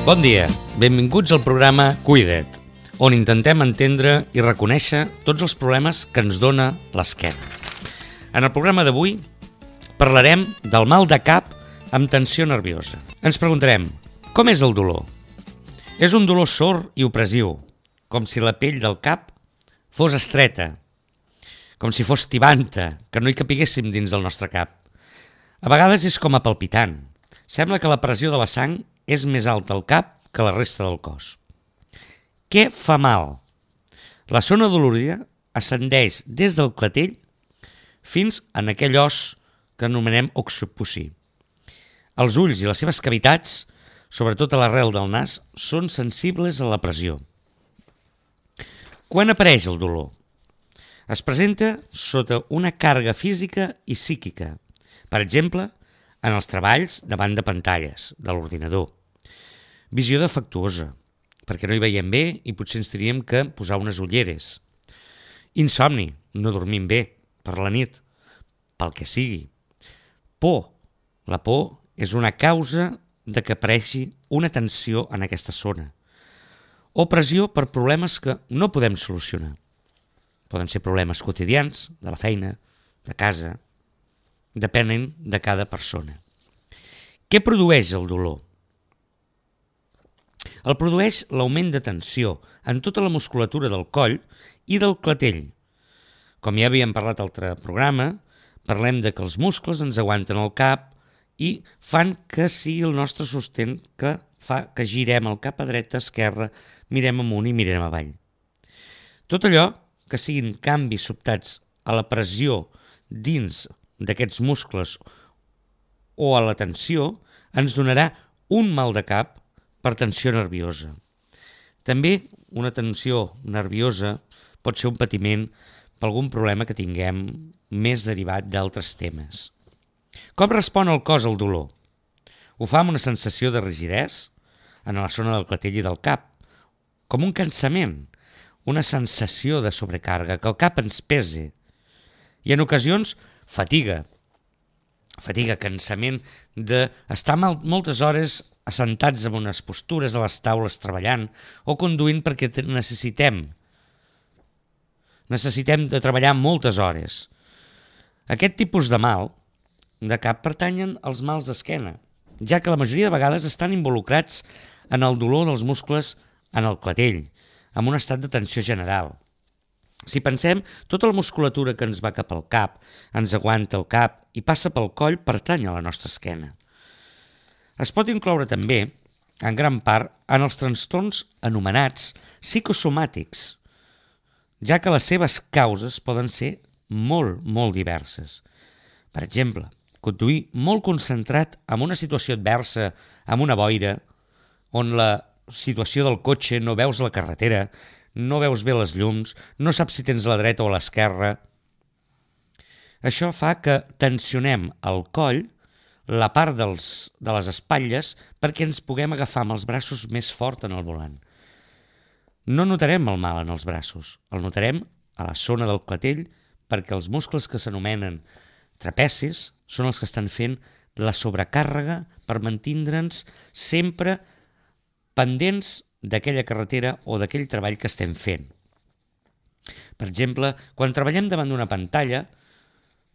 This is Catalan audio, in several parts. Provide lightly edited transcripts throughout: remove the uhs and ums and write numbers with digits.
Bon dia, benvinguts al programa Cuida't, on intentem entendre i reconèixer tots els problemes que ens dona l'esquena. En el programa d'avui parlarem del mal de cap amb tensió nerviosa. Ens preguntarem, com és el dolor? És un dolor sord i opressiu, com si la pell del cap fos estreta, com si fos tibanta, que no hi capiguéssim dins del nostre cap. A vegades és com a palpitant. Sembla que la pressió de la sang és més alta al cap que la resta del cos. Què fa mal? La zona dolorida ascendeix des del clatell fins en aquell os que anomenem occipuci. Els ulls i les seves cavitats, sobretot a l'arrel del nas, són sensibles a la pressió. Quan apareix el dolor? Es presenta sota una càrrega física i psíquica, per exemple, en els treballs davant de pantalles, de l'ordinador. Visió defectuosa, perquè no hi veiem bé i potser ens tindríem que posar unes ulleres. Insomni, no dormim bé, per la nit, pel que sigui. Por. La por és una causa de que apareixi una tensió en aquesta zona. O pressió per problemes que no podem solucionar. Poden ser problemes quotidians, de la feina, de casa. Depenen de cada persona. Què produeix el dolor? El produeix l'augment de tensió en tota la musculatura del coll i del clatell. Com ja havíem parlat a l'altre programa, parlem de que els muscles ens aguanten el cap i fan que sigui el nostre sostén que fa que girem el cap a dreta, a esquerra, mirem amunt i mirem avall. Tot allò que siguin canvis sobtats a la pressió dins d'aquests muscles o a la tensió ens donarà un mal de cap per tensió nerviosa. També una tensió nerviosa pot ser un patiment per algun problema que tinguem més derivat d'altres temes. Com respon el cos al dolor? Ho fa amb una sensació de rigidesa en la zona del clatell i del cap, com un cansament, una sensació de sobrecàrrega, que el cap ens pese, i en ocasions fatiga, cansament d'estar moltes hores assentats en unes postures a les taules treballant o conduint perquè necessitem de treballar moltes hores. Aquest tipus de mal de cap pertanyen als mals d'esquena, ja que la majoria de vegades estan involucrats en el dolor dels muscles en el clatell, amb un estat de tensió general. Si pensem, tota la musculatura que ens va cap al cap, ens aguanta el cap i passa pel coll, pertany a la nostra esquena. Es pot incloure també, en gran part, en els trastorns anomenats psicosomàtics, ja que les seves causes poden ser molt, molt diverses. Per exemple, conduir molt concentrat en una situació adversa, amb una boira, on la situació del cotxe no veus la carretera, no veus bé les llums, no saps si tens a la dreta o a l'esquerra. Això fa que tensionem el coll, la part de les espatlles, perquè ens puguem agafar amb els braços més fort en el volant. No notarem el mal en els braços, el notarem a la zona del clatell, perquè els muscles que s'anomenen trapecis són els que estan fent la sobrecàrrega per mantindre'ns sempre pendents d'aquella carretera o d'aquell treball que estem fent. Per exemple, quan treballem davant d'una pantalla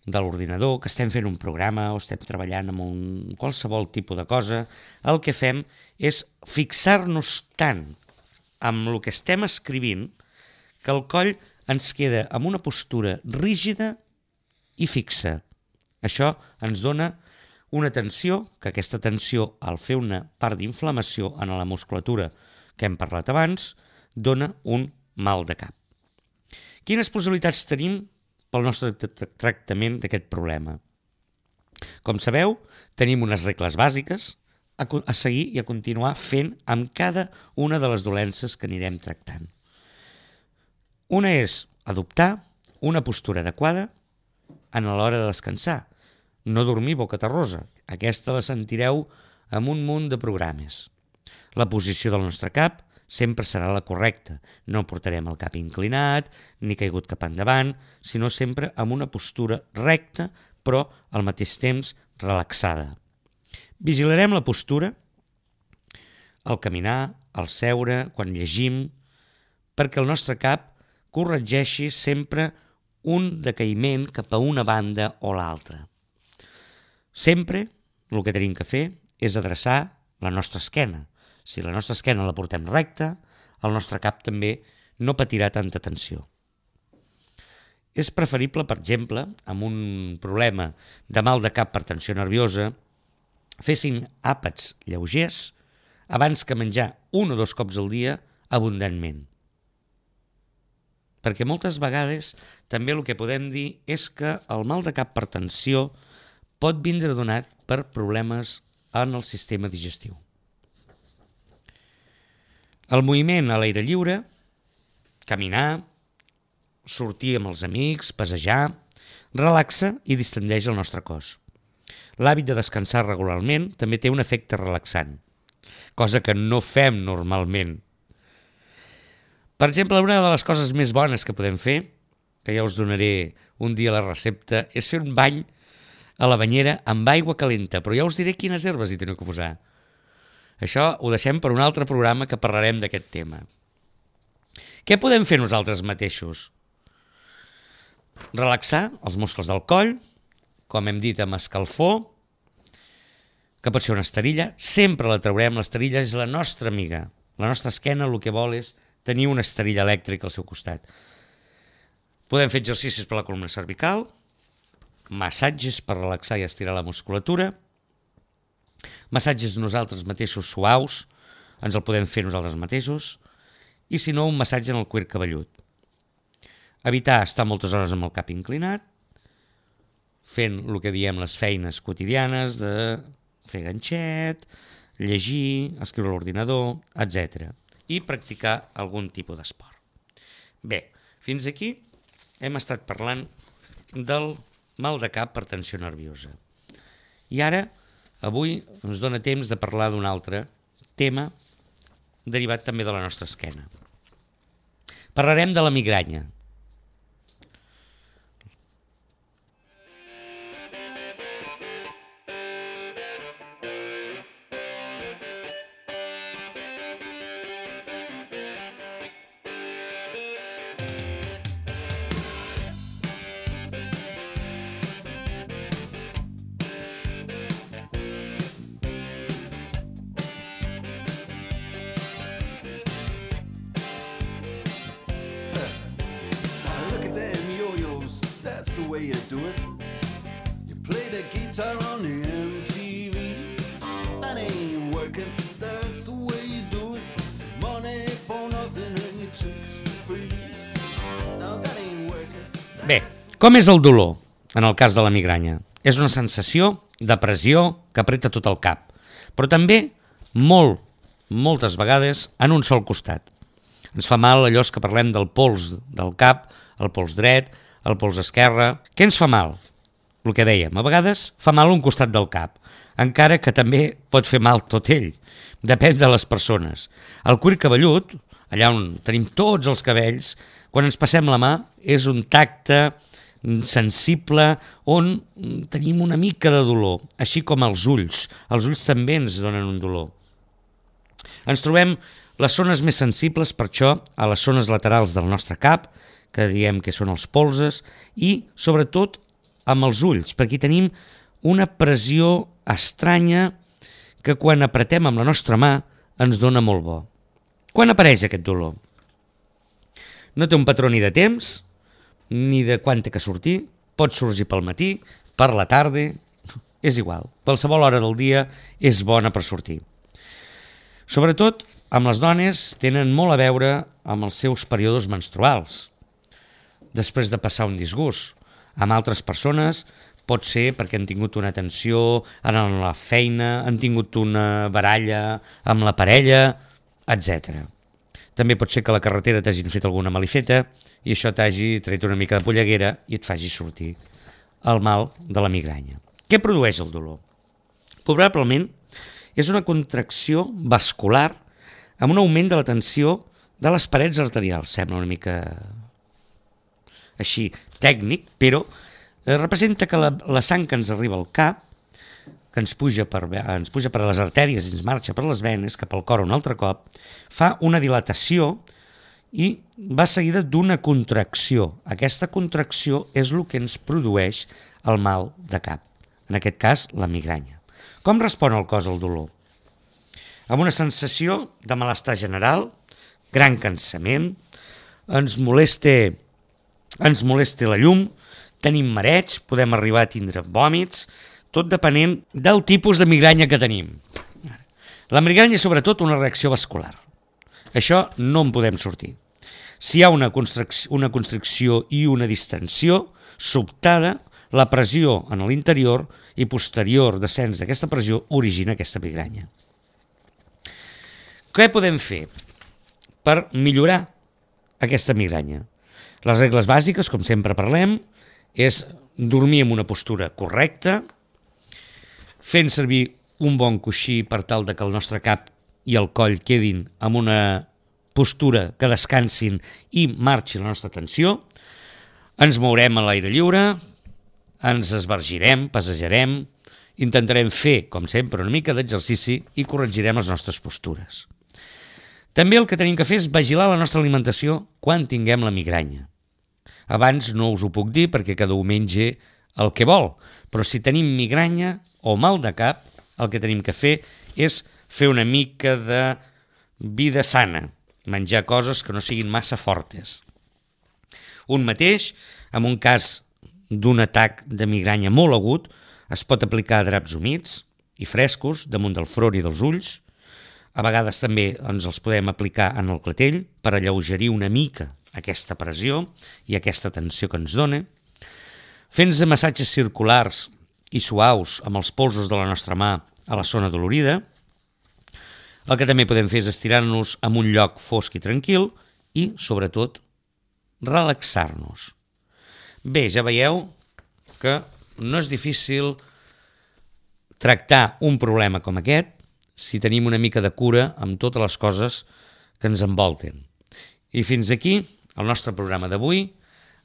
de l'ordinador, que estem fent un programa o estem treballant amb qualsevol tipus de cosa, el que fem és fixar-nos tant amb el que estem escrivint que el coll ens queda amb una postura rígida i fixa. Això ens dona una tensió, que aquesta tensió, al fer una part d'inflamació en la musculatura que hem parlat abans, dona un mal de cap. Quines possibilitats tenim pel nostre tractament d'aquest problema? Com sabeu, tenim unes regles bàsiques a seguir i a continuar fent amb cada una de les dolences que anirem tractant. Una és adoptar una postura adequada a l'hora de descansar. No dormir boca terrosa. Aquesta la sentireu amb un munt de programes. La posició del nostre cap sempre serà la correcta. No portarem el cap inclinat ni caigut cap endavant, sinó sempre amb una postura recta, però al mateix temps relaxada. Vigilarem la postura, al caminar, al seure, quan llegim, perquè el nostre cap corregeixi sempre un decaïment cap a una banda o l'altra. Sempre el que tenim que fer és adreçar la nostra esquena. Si la nostra esquena la portem recta, el nostre cap també no patirà tanta tensió. És preferible, per exemple, amb un problema de mal de cap per tensió nerviosa, fessin àpats lleugers abans que menjar 1 o 2 cops al dia abundantment. Perquè moltes vegades també el que podem dir és que el mal de cap per tensió pot vindre donat per problemes en el sistema digestiu. El moviment a l'aire lliure, caminar, sortir amb els amics, passejar, relaxa i distendeix el nostre cos. L'hàbit de descansar regularment també té un efecte relaxant, cosa que no fem normalment. Per exemple, una de les coses més bones que podem fer, que ja us donaré un dia la recepta, és fer un bany a la banyera amb aigua calenta, però ja us diré quines herbes hi teniu que posar. Això ho deixem per un altre programa que parlarem d'aquest tema. Què podem fer nosaltres mateixos? Relaxar els muscles del coll, com hem dit, amb escalfor, que pot ser una esterilla. Sempre la traurem, l'esterilla és la nostra amiga. La nostra esquena el que vol és tenir una esterilla elèctrica al seu costat. Podem fer exercicis per la columna cervical, massatges per relaxar i estirar la musculatura, massatges nosaltres mateixos suaus, ens el podem fer nosaltres mateixos, i si no, un massatge en el cuir cabellut. Evitar estar moltes hores amb el cap inclinat, fent el que diem les feines quotidianes de fer ganxet, llegir, escriure a l'ordinador, etc. I practicar algun tipus d'esport. Bé, fins aquí hem estat parlant del mal de cap per tensió nerviosa. I ara, avui, ens dona temps de parlar d'un altre tema derivat també de la nostra esquena. Parlarem de la migranya. way you do it. You play the guitar on the MTV. That ain't working, that's the way you do it. Money for nothing and your chicks for free. No, that ain't working. Bé, com és el dolor en el cas de la migranya? És una sensació de pressió que apreta tot el cap, però també moltes vegades en un sol costat. Ens fa mal allò que parlem del pols del cap, el pols dret, el pols esquerre. Què ens fa mal? El que dèiem, a vegades fa mal un costat del cap, encara que també pot fer mal tot ell. Depèn de les persones. El cuir cabellut, allà on tenim tots els cabells, quan ens passem la mà és un tacte sensible on tenim una mica de dolor, així com els ulls. Els ulls també ens donen un dolor. Ens trobem les zones més sensibles, per això, a les zones laterals del nostre cap, que diem que són els polzes, i, sobretot, amb els ulls, perquè tenim una pressió estranya que quan apretem amb la nostra mà ens dona molt bo. Quan apareix aquest dolor? No té un patró ni de temps, ni de quan té que sortir, pot sorgir pel matí, per la tarda, és igual. Qualsevol hora del dia és bona per sortir. Sobretot, amb les dones tenen molt a veure amb els seus períodes menstruals. Després de passar un disgust, amb altres persones pot ser perquè han tingut una tensió en la feina, han tingut una baralla amb la parella, etc. També pot ser que a la carretera t'hagin fet alguna malifeta i això t'hagi tret una mica de polleguera i et faci sortir el mal de la migranya. Què produeix el dolor? Probablement és una contracció vascular amb un augment de la tensió de les parets arterials. Sembla una mica així tècnic, però representa que la sang que ens arriba al cap, que ens puja per les artèries i ens marxa per les venes, cap al cor un altre cop, fa una dilatació i va seguida d'una contracció. Aquesta contracció és el que ens produeix el mal de cap, en aquest cas la migranya. Com respon el cos al dolor? Amb una sensació de malestar general, gran cansament, ens molesta la llum, tenim mareig, podem arribar a tindre vòmits, tot depenent del tipus de migranya que tenim. La migranya és sobretot una reacció vascular. Això no en podem sortir. Si hi ha una constricció i una distensió sobtada, la pressió en l'interior i posterior descens d'aquesta pressió origina aquesta migranya. Què podem fer per millorar aquesta migranya? Les regles bàsiques, com sempre parlem, és dormir en una postura correcta, fent servir un bon coixí per tal de que el nostre cap i el coll quedin en una postura que descansin i marxi la nostra tensió, ens mourem a l'aire lliure, ens esbargirem, passejarem, intentarem fer, com sempre, una mica d'exercici i corregirem les nostres postures. També el que tenim que fer és vigilar la nostra alimentació quan tinguem la migranya. Abans no us ho puc dir perquè cada un menja el que vol, però si tenim migranya o mal de cap, el que tenim que fer és fer una mica de vida sana, menjar coses que no siguin massa fortes. Un mateix, en un cas d'un atac de migranya molt agut, es pot aplicar draps humits i frescos damunt del front i dels ulls. A vegades també ens els podem aplicar en el clatell per alleugerir una mica aquesta pressió i aquesta tensió que ens dona. Fent-nos massatges circulars i suaus amb els polsos de la nostra mà a la zona dolorida. El que també podem fer és estirar-nos en un lloc fosc i tranquil i, sobretot, relaxar-nos. Bé, ja veieu que no és difícil tractar un problema com aquest si tenim una mica de cura amb totes les coses que ens envolten. I fins aquí el nostre programa d'avui.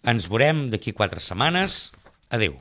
Ens veurem d'aquí 4 setmanes. Adéu.